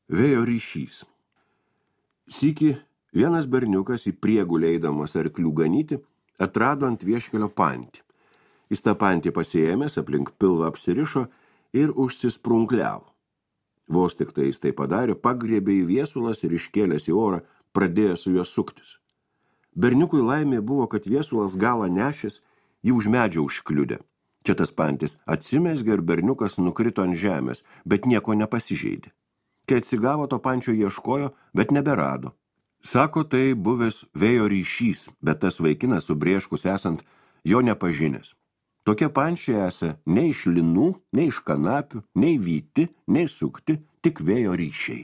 Vėjo ryšys. Sykį vienas berniukas į priegulę eidamas arklių ganyti atrado ant vieškelio pantį. Jis tą pantį pasiėmęs, aplink pilvą apsirišo ir užsisprunkliavo. Vos tik tai jis tai padarė, pagriebė į viesulas ir iškėlęs į orą pradėjo su juo suktis. Berniukui laimė buvo, kad viesulas galą nešęs jį už medžio užkliudė. Čia tas pantis atsimezgė ir berniukas nukrito ant žemės, bet nieko nepasižeidė. Kai atsigavo, to pančio ieškojo, bet neberado. Sako, tai buvęs vėjo ryšys, bet tas vaikinas subrėškus esant jo nepažinęs. Tokie pančiai esą nei iš linų, nei iš kanapių, nei vyti, nei sukti, tik vėjo ryšiai.